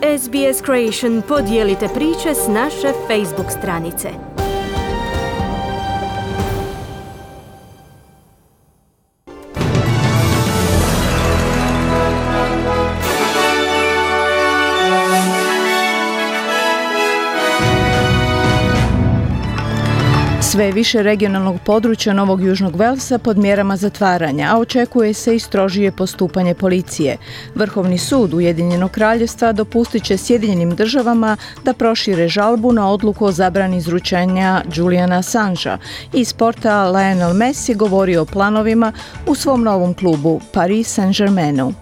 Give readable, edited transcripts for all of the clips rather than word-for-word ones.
SBS Creation, podijelite priče s naše Facebook stranice. Sve više regionalnog područja Novog Južnog Velsa pod mjerama zatvaranja, a očekuje se i strožije postupanje policije. Vrhovni sud Ujedinjenog kraljevstva dopustit će Sjedinjenim državama da prošire žalbu na odluku o zabrani izručenja Juliana Assangea. Iz sporta Lionel Messi govorio o planovima u svom novom klubu Paris Saint-Germainu.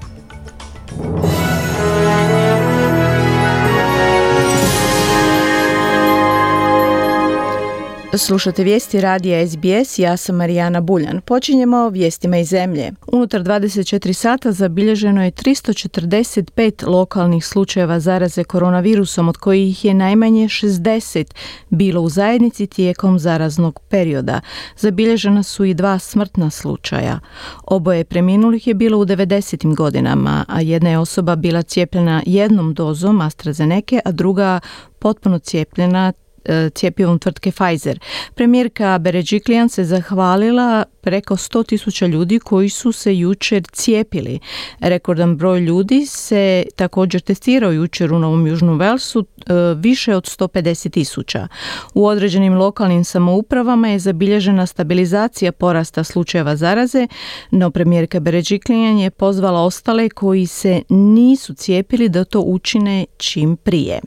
Slušate vijesti radija SBS, ja sam Marijana Buljan. Počinjemo vijestima iz zemlje. Unutar 24 sata zabilježeno je 345 lokalnih slučajeva zaraze koronavirusom, od kojih je najmanje 60 bilo u zajednici tijekom zaraznog perioda. Zabilježena su i 2 smrtna slučaja. Oboje preminulih je bilo u 90. godinama, a jedna je osoba bila cijepljena jednom dozom AstraZeneca, a druga potpuno cijepljena cjepivom tvrtke Pfizer. Premijerka Berejiklian se zahvalila preko 100.000 ljudi koji su se jučer cijepili. Rekordan broj ljudi se također testirao jučer u Novom Južnom Velsu, više od 150.000. U određenim lokalnim samoupravama je zabilježena stabilizacija porasta slučajeva zaraze, no premijerka Berejiklian je pozvala ostale koji se nisu cijepili da to učine čim prije.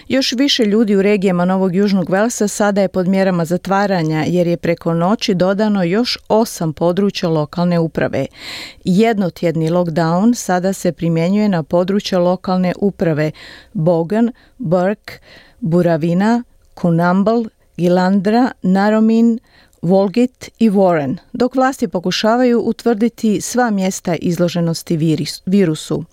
Još više ljudi u regijama Novog Južnog Velsa sada je pod mjerama zatvaranja jer je preko noći dodano još 8 područja lokalne uprave. Jednotjedni lockdown sada se primjenjuje na područja lokalne uprave Bogan, Burke, Buravina, Coonamble, Gilandra, Narromine, Walgett i Warren, dok vlasti pokušavaju utvrditi sva mjesta izloženosti virusu.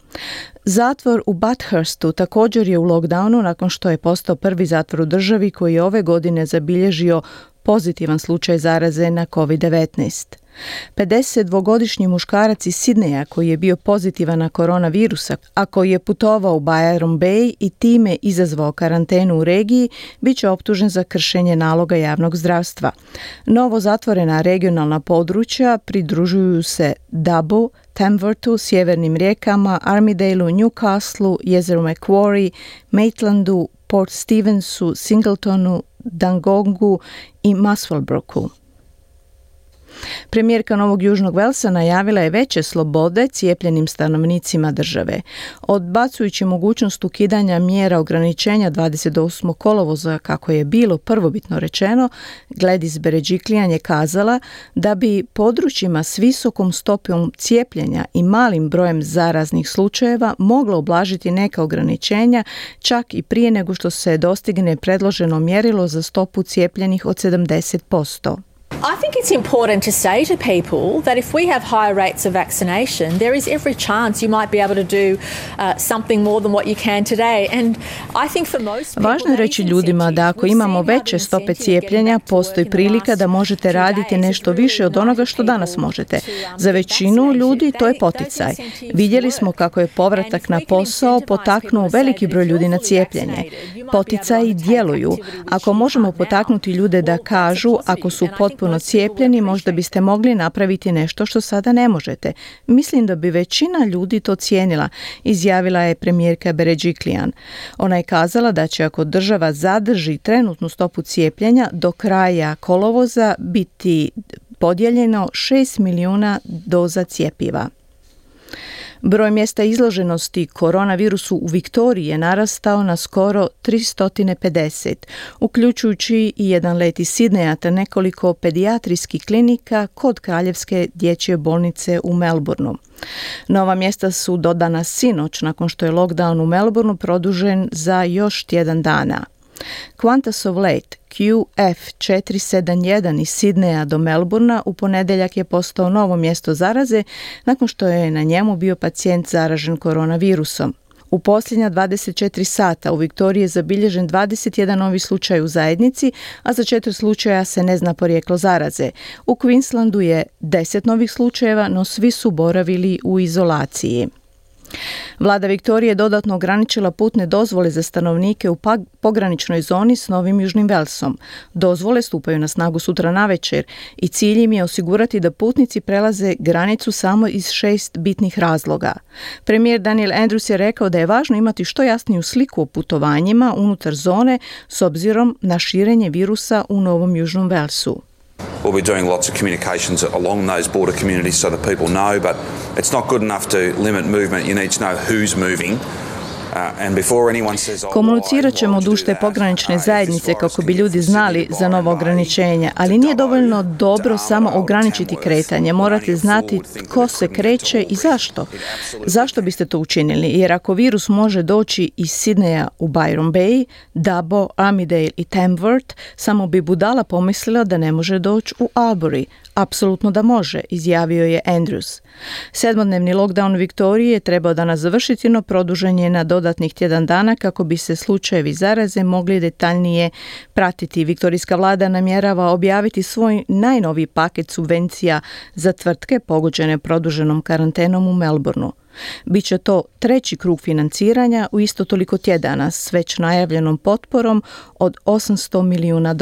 Zatvor u Bathurstu također je u lockdownu nakon što je postao prvi zatvor u državi koji je ove godine zabilježio pozitivan slučaj zaraze na COVID-19. 52-godišnji muškarac iz Sidneja koji je bio pozitivan na koronavirusa, a koji je putovao u Byron Bay i time izazvao karantenu u regiji, bit će optužen za kršenje naloga javnog zdravstva. Novo zatvorena regionalna područja pridružuju se Dubbo, Tamworthu, sjevernim rijekama, Armidaleu, Newcastleu, jezeru Macquarie, Maitlandu, Port Stevensu, Singletonu, Dangongu i Muswellbrooku. Premijerka Novog Južnog Velsa najavila je veće slobode cijepljenim stanovnicima države. Odbacujući mogućnost ukidanja mjera ograničenja 28. kolovoza, kako je bilo prvobitno rečeno, Gladys Berejiklian je kazala da bi područjima s visokom stopom cijepljenja i malim brojem zaraznih slučajeva moglo ublažiti neka ograničenja čak i prije nego što se dostigne predloženo mjerilo za stopu cijepljenih od 70%. I think it's important to say to people that if we have higher rates of vaccination, there is every chance you might be able to do something more than what you can today. And I think for most people, važno je reći ljudima da ako imamo veće stope cijepljenja, postoji prilika da možete raditi nešto više od onoga što danas možete. Za većinu ljudi to je poticaj. Vidjeli smo kako je povratak na posao potaknuo veliki broj ljudi na cijepljenje. Poticaji djeluju. Ako možemo potaknuti ljude da kažu ako su potpuno cijepljeni, možda biste mogli napraviti nešto što sada ne možete. Mislim da bi većina ljudi to cijenila, izjavila je premijerka Berejiklian. Ona je kazala da će ako država zadrži trenutnu stopu cijepljenja do kraja kolovoza biti podijeljeno 6 milijuna doza cjepiva. Broj mjesta izloženosti koronavirusu u Viktoriji je narastao na skoro 350, uključujući i jedan let iz Sidneja te nekoliko pedijatrijskih klinika kod Kraljevske dječje bolnice u Melbourneu. Nova mjesta su dodana sinoć nakon što je lockdown u Melbourneu produžen za još tjedan dana. Qantasov let QF471 iz Sidneja do Melbournea u ponedjeljak je postao novo mjesto zaraze nakon što je na njemu bio pacijent zaražen koronavirusom. U posljednja 24 sata u Viktoriji je zabilježen 21 novi slučaj u zajednici, a za 4 slučaja se ne zna porijeklo zaraze. U Queenslandu je 10 novih slučajeva, no svi su boravili u izolaciji. Vlada Viktorije je dodatno ograničila putne dozvole za stanovnike u pograničnoj zoni s Novim Južnim Velsom. Dozvole stupaju na snagu sutra navečer i cilj im je osigurati da putnici prelaze granicu samo iz 6 bitnih razloga. Premijer Daniel Andrews je rekao da je važno imati što jasniju sliku o putovanjima unutar zone s obzirom na širenje virusa u Novom Južnom Velsu. We'll be doing lots of communications along those border communities so that people know, but it's not good enough to limit movement. You need to know who's moving. Komunicirat ćemo duž te pogranične zajednice kako bi ljudi znali za nova ograničenja, ali nije dovoljno dobro samo ograničiti kretanje. Morate znati tko se kreće i zašto. Zašto biste to učinili? Jer ako virus može doći iz Sidneja u Byron Bay, Dubbo, Armidale i Tamworth, samo bi budala pomislila da ne može doći u Albury. Apsolutno da može, izjavio je Andrews. 7-dnevni lockdown Viktorije je trebao danas završiti, no produžen je na dodatnih tjedan dana kako bi se slučajevi zaraze mogli detaljnije pratiti. Viktorijska vlada namjerava objaviti svoj najnoviji paket subvencija za tvrtke pogođene produženom karantenom u Melbourneu. Biće to treći krug financiranja u isto toliko tjedana s već najavljenom potporom od $800 milijuna.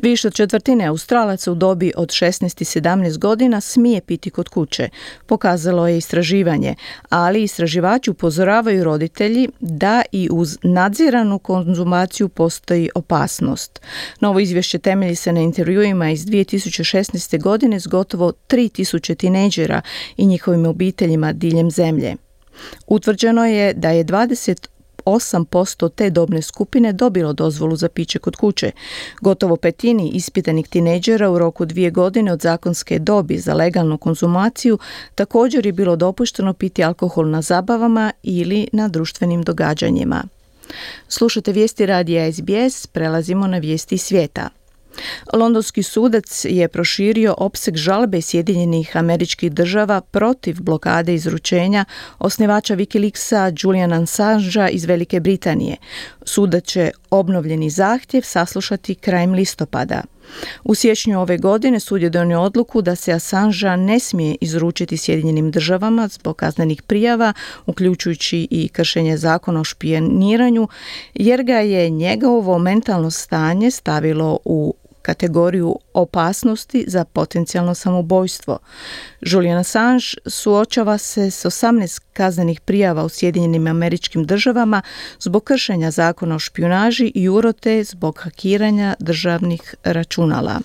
Više od četvrtine Australaca u dobi od 16 i 17 godina smije piti kod kuće, pokazalo je istraživanje, ali istraživači upozoravaju roditelji da i uz nadziranu konzumaciju postoji opasnost. Novo izvješće temelji se na intervjuima iz 2016. godine s gotovo 3000 tinejdžera i njihovim obiteljima diljem zemlje. Utvrđeno je da je 8% te dobne skupine dobilo dozvolu za piće kod kuće. Gotovo petini ispitanih tinejdžera u roku 2 godine od zakonske dobi za legalnu konzumaciju također je bilo dopušteno piti alkohol na zabavama ili na društvenim događanjima. Slušate vijesti radija SBS, prelazimo na vijesti svijeta. Londonski sudac je proširio opseg žalbe Sjedinjenih Američkih Država protiv blokade izručenja osnivača Wikileaksa Juliana Assangea iz Velike Britanije. Sudac će obnovljeni zahtjev saslušati krajem listopada. U siječnju ove godine sud je donio odluku da se Assangea ne smije izručiti Sjedinjenim Državama zbog kaznenih prijava, uključujući i kršenje zakona o špijuniranju, jer ga je njegovo mentalno stanje stavilo u kategoriju opasnosti za potencijalno samoubojstvo. Julian Assange suočava se s 18 kaznenih prijava u Sjedinjenim Američkim Državama zbog kršenja zakona o špijunaži i urote zbog hakiranja državnih računala.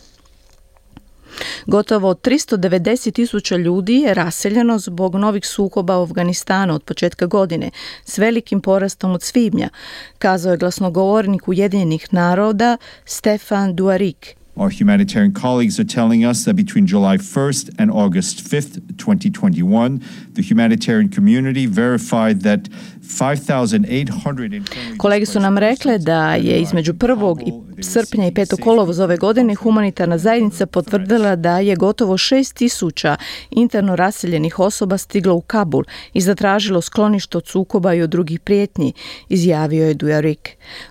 Gotovo 390.000 ljudi je raseljeno zbog novih sukoba u Afganistanu od početka godine, s velikim porastom od svibnja, kazao je glasnogovornik Ujedinjenih naroda Stefan Dujarric. Our humanitarian colleagues are telling us that between July 1st and August 5th, 2021, the humanitarian community verified that 5,800... Kolege su nam rekle da je između 1. srpnja i 5. kolovoza ove godine humanitarna zajednica potvrdila da je gotovo 6,000 interno raseljenih osoba stiglo u Kabul i zatražilo sklonište od sukoba i od drugih prijetnji, izjavio je Dujarric.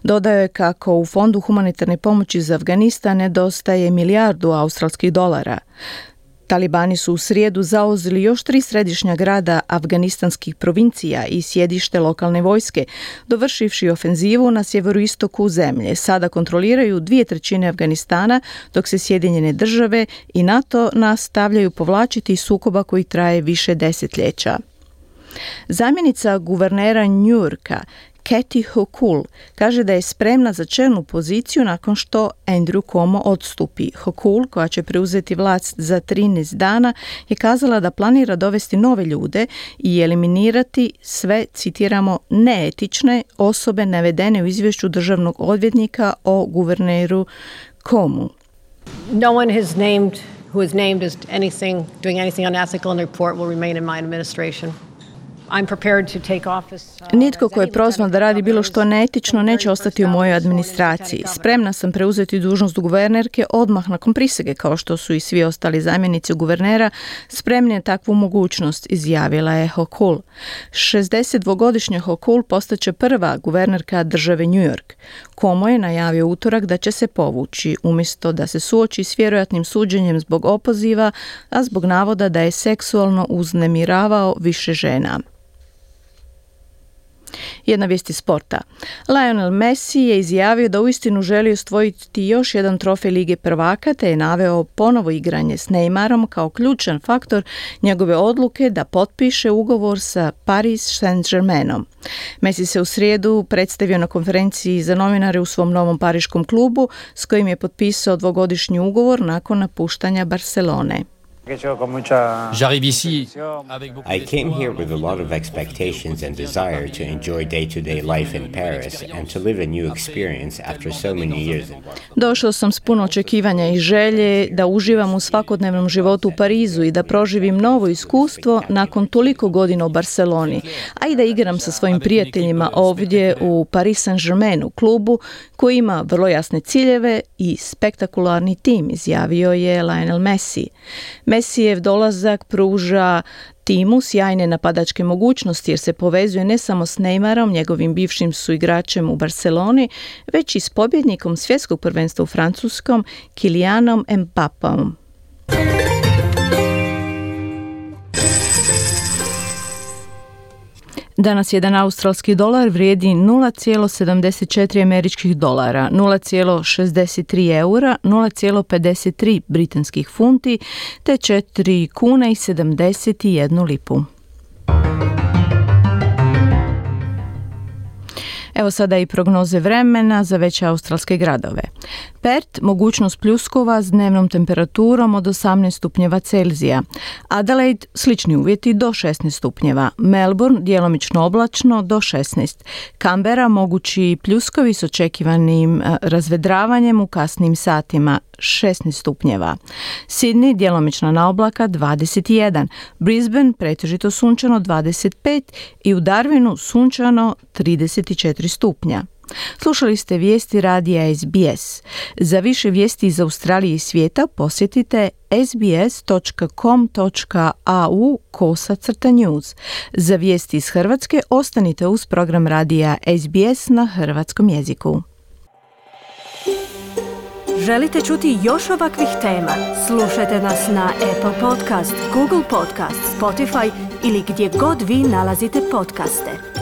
Dodao je kako u Fondu humanitarne pomoći za Afganistan nedostaje $1 milijardu australskih dolara. Talibani su u srijedu zauzeli još 3 središnja grada afganistanskih provincija i sjedište lokalne vojske, dovršivši ofenzivu na sjeveroistoku zemlje. Sada kontroliraju 2/3 Afganistana, dok se Sjedinjene Države i NATO nastavljaju povlačiti iz sukoba koji traje više desetljeća. Zamjenica guvernera New Yorka Kathy Hochul kaže da je spremna za čelnu poziciju nakon što Andrew Cuomo odstupi. Hochul, koja će preuzeti vlast za 13 dana, je kazala da planira dovesti nove ljude i eliminirati sve, citiramo, neetične osobe navedene u izvješću državnog odvjetnika o guverneru Cuomu. No one who is named as doing anything unethical in the report will remain in my administration. Nitko ko je prozvan da radi bilo što neetično neće ostati u mojoj administraciji. Spremna sam preuzeti dužnost guvernerke odmah nakon prisege, kao što su i svi ostali zamjenici guvernera spremni na takvu mogućnost, izjavila je Hochul. 62-godišnja Hochul postaće prva guvernerka države New York. Cuomo je najavio utorak da će se povući, umjesto da se suoči s vjerojatnim suđenjem zbog opoziva, a zbog navoda da je seksualno uznemiravao više žena. Jedna vijest iz sporta. Lionel Messi je izjavio da uistinu želi osvojiti još jedan trofej Lige prvaka, te je naveo ponovo igranje s Neymarom kao ključan faktor njegove odluke da potpiše ugovor sa Paris Saint-Germainom. Messi se u srijedu predstavio na konferenciji za novinare u svom novom pariškom klubu s kojim je potpisao dvogodišnji ugovor nakon napuštanja Barcelone. I came here with a lot of expectations and desire to enjoy day-to-day life in Paris and to live a new experience after so many years. Došao sam s puno očekivanja i želje da uživam u svakodnevnom životu u Parizu i da proživim novo iskustvo nakon toliko godina u Barceloni, a i da igram sa svojim prijateljima ovdje u Paris Saint-Germainu, klubu koji ima vrlo jasne ciljeve i spektakularni tim, izjavio je Lionel Messi. Messijev dolazak pruža timu sjajne napadačke mogućnosti jer se povezuje ne samo s Neymarom, njegovim bivšim suigračem u Barceloni, već i s pobjednikom svjetskog prvenstva u Francuskom, Kylianom Mbappéom. Danas jedan australski dolar vrijedi 0,74 američkih dolara, 0,63 eura, 0,53 britanskih funti te 4 kuna i 71 lipu. Evo sada i prognoze vremena za veće australske gradove. Perth, mogućnost pljuskova s dnevnom temperaturom od 18 stupnjeva Celzija. Adelaide, slični uvjeti do 16 stupnjeva. Melbourne, djelomično oblačno do 16. Canberra, mogući pljuskovi s očekivanim razvedravanjem u kasnim satima, 16 stupnjeva. Sydney, djelomična naoblaka, 21. Brisbane, pretežito sunčano, 25. I u Darwinu, sunčano, 34 stupnja. Slušali ste vijesti radija SBS. Za više vijesti iz Australije i svijeta posjetite sbs.com.au/news. Za vijesti iz Hrvatske ostanite uz program radija SBS na hrvatskom jeziku. Želite čuti još ovakvih tema? Slušajte nas na Apple Podcast, Google Podcast, Spotify ili gdje god vi nalazite podcaste.